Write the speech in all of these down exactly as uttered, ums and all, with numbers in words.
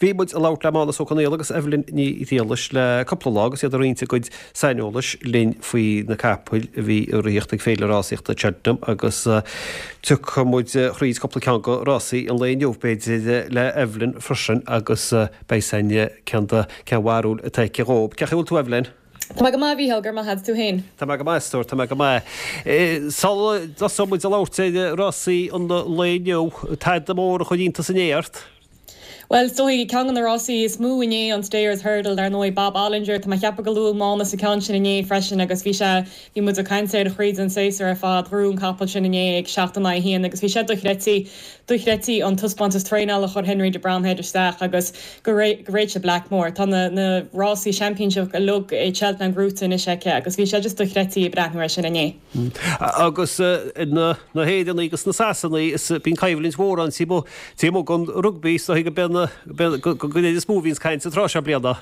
Bhí muid ag labhairt le Mánas Ó Conghaile agus Evelyn Ní Ghriallais le cúpla lá agus iad ag roinnt a gcuid saineolais linn faoi na capaill a bhí ag ritheacht ag Féile Rásaíochta Cheltenham agus tiocfaidh muid thríd cúpla ceann de rásaí an lae inniu b'fhéidir le Evelyn freisin agus beidh san cén cén bharúil atá aici dhób. Cén chaoi a bhfuil tú Evelyn? Tá mé go maith Mhícheál, go raibh maith agat tú féin. Tá mé go maith stór, tá mé go maith. Sula dtosóidh muid ag labhairt ar rásaí an lae inniu, tada mór a chuir iontas inné ort? Well is dóigh ceann de na rásaí is mó inné an Stayers Hurdle dar ndóigh Bob Olinger Tá mé ag ceapadh gur luaigh Mánas an ceann sin inné freisin agus bhí sé bhí muid ag caint air thríd an séasúr ar fad ghnóthaigh an capall sin inné ag seacht in aghaidh a haon agus bhí sé dochreidte dochreidte an taispeántas traenála a chuir Henry de Bromhead isteach agus go réit Blackmore Tá na, na rásaí championship uilig i Cheltenham gnóthaithe anois aici agus bhí sé just dochreidte breathnú air sin inné. Agus na na hÉireannaigh agus na Sasanaigh is bíonn coimhlint mhór ann taobh amuigh den rugbaí so go go is mó bhíonns caint an tráth seo bliana.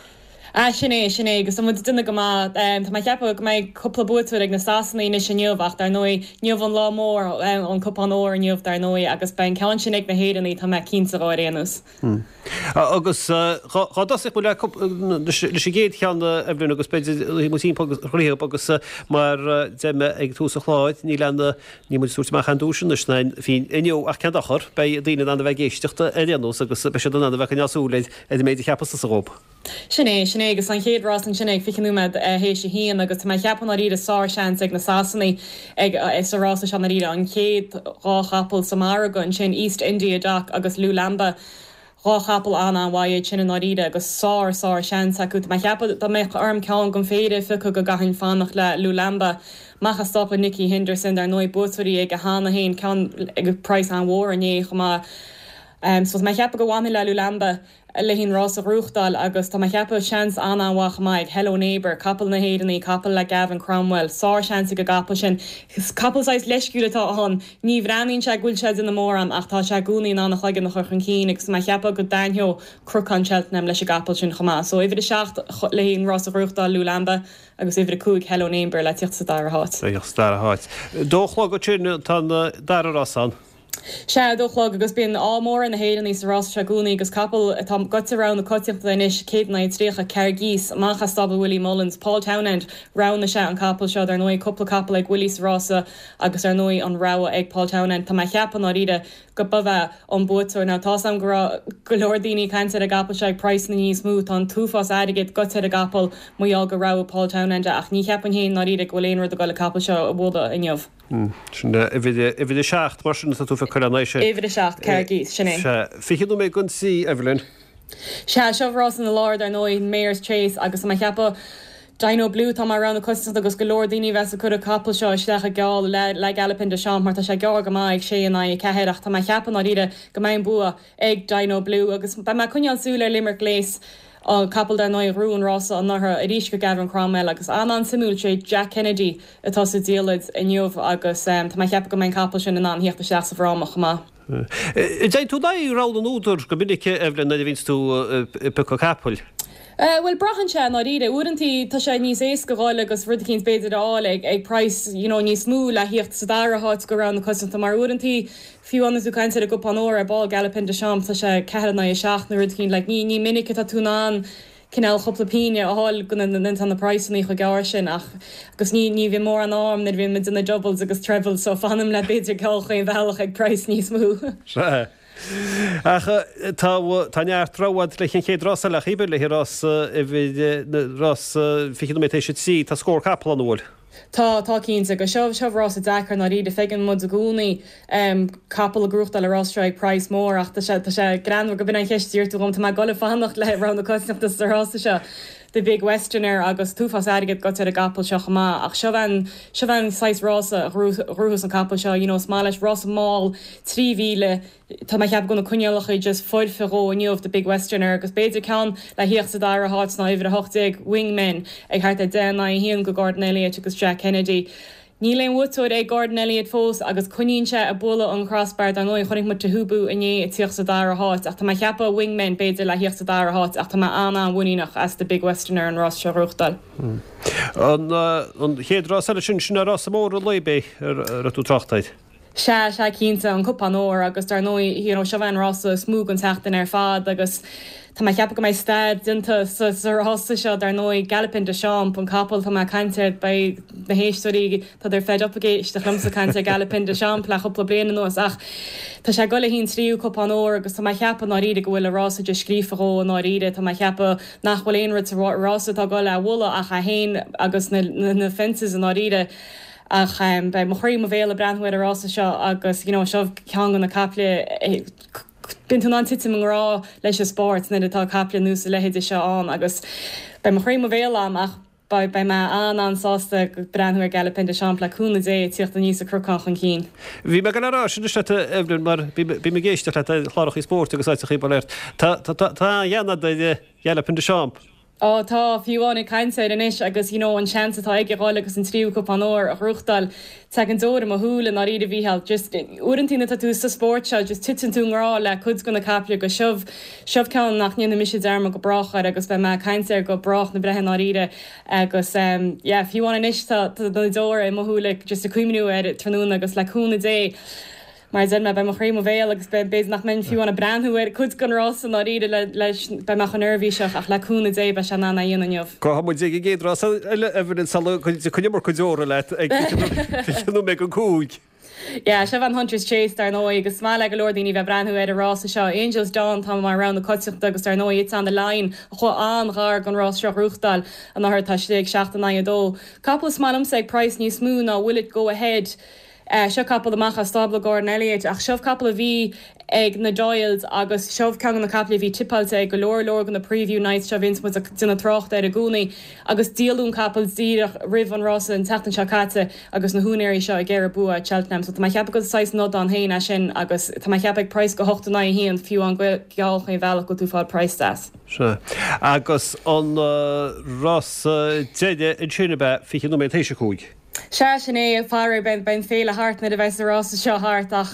Ah sin é sin é agus muid duine go maith Tá mé ag ceapadh go mbeidh cúpla buaiteoir ag na Sasanaigh anois inniu ach dar ndóigh inniu an lá mór an cupán óir inniu dar ndóigh agus beidh an ceann sin ag na hÉireannaigh tá mé cinnte ar aon nós. Agus dá dtosódh leis an gcéad cheann Evelyn agus b'fhéidir mu timpeall agus mar deir mé ag tús an chláir níl an ní muid súirt amach an duaiseanna féin inniu ach cén dochar beidh daoine in ann a bheith ag éisteacht ar aon nós agus beidh siad in ann a bheith ag coinneáil súil ar an méid a cheapas tusa dhób. Sin é sin é agus an chéad rás ansin ag fiche nóiméad théis a haon agus tá mé ag ceapadh dáiríre sár-seans ag na Sasanaigh ag sa rása seo dáiríre an chéad dhá chapall sa margadh ansin East India Dock agus Lulamba. Dhá chapall an an-mhaith sin i ndáiríre agus sár sár seans acu Tá mé ag ceapadh dá mbeadh orm ceann den phéire a phiocadh go gcaithfinn fanacht le Lulamba. Amach as stábla Nicky Henderson dar ndóigh buaiteoirí ag a cheana féin ceann ag praghas an-mhór inné chomh maith. Um, so mé cheapadh go bhfanfaidh le Lulamba le an rás a ghnóthachtáil agus tá mé ag ceapadh seans an-an-mhaith chomh maith Hello Neighbour, capall na hÉireann, capall le Gavin Cromwell, sár seans ag an gcapall sin. Capall saghas leisciúil atá ann, ní bhreathnaíonn sé go bhfuil sé ina mórán ach tá sé i gcónaí in ann a chloigeann a chur chun cinn agus mé ag ceapadh go dtaitneodh Cnocán Cheltenham leis an gcapall sin chomh maith. So uimhir a seacht le an rás a ghnóthachtáil Lulamba agus uimhir a cúig Hello Neighbour le teacht sa dara háit. Sa dara háit. Dó a chlog sin tá dara rás ann. Sea dó a chlog agus bíonn ádh mór na hÉireannaigh sa rás seo i gcónaí agus capall atá goite rogha na coitiantachta anois céad in aghaidh tríocha Cargese amach as stábla Willie Mullins, Paul Townend roghnaigh sé an capall seo ar ndóigh cúpla capall ag Willie sa rása agus ar ndóigh an rogha ag Paul Townend Tá mé ag ceapadh dáiríre go b'é an buaiteoir ná tá am go go leor daoine caint ar an gcapall seo ag praghsanna níos mó tá an t-uafás airgid goite ar an gcapall mar gheall go raibh Paul Townend ach ní cheapaim féin dáiríre go bhfuil aon rud ag dul an capall seo a bhualadh inniu. Sin uimhir a seacht mar sin tá tú ag cur an sin. Uimhir a seacht Cargese sin é. Fiche nóiméad don trí Evelyn. Sea seo rás na lár ar ndóigh Mares Chase agus mé ag ceapadh Dino Blue tá mar rogha na coitiantachta agus go leor daoine bheith ag cur an capall seo isteach i gceol le le Galopin Des Champs mar tá sé gearr go maith ag sé in aghaidh ceathair ach tá mé ag ceapadh dáiríre go mbeidh an bua ag Dino Blue agus beidh mé ag coinneáil súil ar Limerick Lace an capall dar ndóigh a ghnóthaigh an rása anuraidh arís go Gavin Cromwell agus an an-suimiúil sé Jack Kennedy atá sa diallait inniu agus um, tá mé ag ceapadh go mbeidh an capall sin in ann theacht isteach sa bhfráma chomh maith. Déanann tú dai rogha na n-údar go minic Evelyn nuair a bhíonns tú ag piocadh capaill. Uh, well braitheann sé dáiríre uaireanta tá sé níos éasca dul agus rud éicint b'fhéidir a fháil ag ag praghas you know, níos mó le theacht sa dara háit go rogha na coitiantachta mar uaireanta fiú an tú caint ar an gcupán óir ar ball Galopin Des Champs tá sé ceathair in aghaidh a seacht nó rud éicint like, ní ní minic atá tú in ann cineál cúpla pingin a fháil go na na praghsanna chomh gearr sin ach agus ní ní bhíonn mórán am nuair bhíonn muid na doubles agus trebles so fanaim le b'fhéidir ceol chaon bhealach ag praghas níos mó. Se. Ach tá tá neart rogha le an chéad rás eile chíbe le rás rás fiche nóiméad théis a trí tá scór capall an bhfuil. Tá tá cinnte go seo seo rás deacair dáiríre feiceann muid i gcónaí um, capall ag gnóthachtáil rás seo ag praghas mór ach tá sé tá sé greannmhar go b'in an cheist tú gom tá mé ag dul fanacht le rogha na coitiantachta sa rása seo. The Big Westerner agus t-uafás airgid goite ar an gcapall seo chomh maith ach seo an seo an saghas rása a ghnóthós an capall seo you know, is maith leis rás mall trí mhíle Tá mé ag ceapadh go na coinníollacha just foirfe dhó inniu the Big Westerner agus b'fhéidir ceann le theacht sa dara háit ná uimhir a hocht déag Wingman ag thart ar deich in aghaidh a haon go Gordon Elliott agus Jack Kennedy. Níl aon bhuaiteoir ag Gordon Elliott fós agus coinníonn sé ag bualadh an crossbar dar ndóigh chonaic muid Teahupoo inné ag teacht sa dara háit ach tá mé ag ceapadh Wingman b'fhéidir le theacht sa dara háit ach tá mé an-an-mhuiníneach as the Big Westerner an rás seo a ghnóthachtáil. An an chéad rás eile sin sin an rás mór an lae ar tú tráchtáid. Sea, sea cinnte an cupán óir agus dar ndóigh you know, seo an rása is mó an tseachtain ar fad agus Tá mé ag ceapadh go mbeidh stair déanta sa sa rása seo dar ndóigh Galopin Des Champs an capall tá mé ag caint air beidh na héisteoirí tá siad fed up ag éisteacht liomsa ag caint ar Galopin Des Champs le cúpla bliain anuas ach tá sé ag dul le haghaidh an tríú cupán óir agus tá mé ag ceapadh i ndáiríre go bhfuil an rása de scríofa dhó i ndáiríre tá mé ag ceapadh nach bhfuil aon rud sa rása atá ag dul é a bhualadh ach é féin agus na na fences i ndáiríre. Ach beidh mo chroí i mo bhéal ag breathnú ar an rása seo agus you know seo ceann de na caiple bíonn tú in ann titim i ngrá leis an spórt nuair atá caiple nós a leithéide seo ann agus beidh mo chroí i mo bhéal a'm ach beidh beidh mé an-an-sásta breathnú ar Galopin Des Champs le cúnamh Dé ag tíocht aníos an cnocán chun cinn. Bhí mé ag dul a rá sin anois leat Evelyn mar bím ag éisteacht leat ar chláracha spóirt agus áiteachaí bail ort. Tá tá tá an-ghean a'd ar Galopin Des Champs. Ó tá, fiú amháin ag caint air anois agus you know an seans atá aige dhul agus an tríú cupán óir a ghnóthachtáil, tagann deora i mo shúil i ndáiríre a Mhícheáil, just uaireantaí nuair atá tú sa spórt seo just titeann tú i ngrá le cuid de na caiple agus seo, seo ceann nach ndéanfaidh mise dearmad go brách air agus beidh mé ag caint air go brách na breithe i ndáiríre agus um yeah fiú amháin anois tá tá na deora i mo shúile just ag cuimhniú air tráthnóna agus le cúnamh Dé Mar a deir mé, beidh mo chroí i mo bhéal agus b'fhéidir nach mbeinn fiú ag breathnú ar cuid den rása i ndáiríre leis, beidh mé chomh neirbhíseach ach le cúnamh Dé beidh sé in ann é a dhéanamh inniu. Gabhfaidh muid ag an gcéad rás eile, Evelyn, sula dtiocfaidh an iomarca deora leat ag fiche nóiméad don cúig. Yeah, seo an Hunters Chase dar ndóigh agus is maith le go leor daoine bheith breathnú ar an rása seo. Angels Dawn atá mar rogha na coitiantachta agus dar ndóigh It's On The Line a chuaigh an-ghar don rás seo a ghnóthachtáil anuraidh tá sé ag seacht in aghaidh a dó. Capall is maith liomsa ag praghas níos mó ná Will It Go Ahead. Seo capall amach as stábla Gordon Elliott ach seo capall a bhí ag na Doyles agus seo ceann de na caiple a bhí tipeáilte ag go leor leor de na preview nights seo a bhíonns muid ag déanamh trácht air i gcónaí agus díoladh an capall díreach roimh an rása an tseachtain seo caite agus na húinéirí seo ag iarraidh bua at Cheltenham so tá mé ag ceapadh gur saghas nod ann féin é sin agus tá mé ag ceapadh ag praghas go hocht in aghaidh a haon fiú an geall chaon bhealach go bhfuil tú ag fáil praghas deas. Sea. Agus an rása deiridh ansin ab ea fiche nóiméad théis a cúig? Sea, sin é, faraor, beidh an féile thart nuair a bheas an rása seo thart ach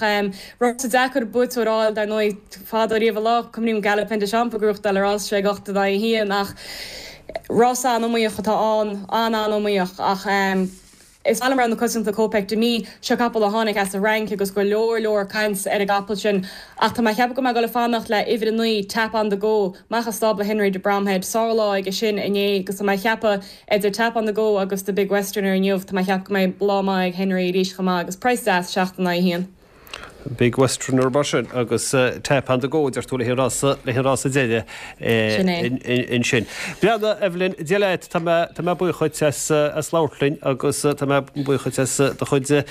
rása deacair buaiteoir a fháil dar ndóigh. Fadó riamh an lá, cuimhním Galopin Des Champs ag gnóthachtáil an rása seo ag ocht in aghaidh a haon ach rása an-iomaíoch atá ann, an-an-iomaíoch ach is maith liom rogha na coitiantachta Kopek Des Mille, seo capall a tháinig as an Fhrainc agus go leor leor caint ar an gcapall sin ach tá mé ag ceapadh go mbeidh ag dul ag fanacht le uimhir a naoi, Tap On The Go, amach as stábla Henry de Bromhead, sárlá aige sin inné agus tá mé ag ceapadh Idir Tap on the Go agus The Big Westerner inniu, tá mé ag ceapadh go mbeidh lá maith ag Henry arís chomh maith agus praghas deas, seacht in aghaidh a haon. Big Westerner mar sin agus Tap on the Go, deir tú, le haghaidh an rása deiridh ansin. Breathnaigh, Evelyn, Dia leat, tá mé tá mé buíoch dhuit as as labhairt linn agus tá mé buíoch dhuit as do chuid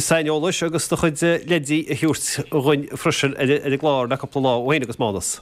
saineolais agus do chuid leidí a thabhairt dhuinn freisin ar an gclár le cúpla lá ó shin agus Mánas.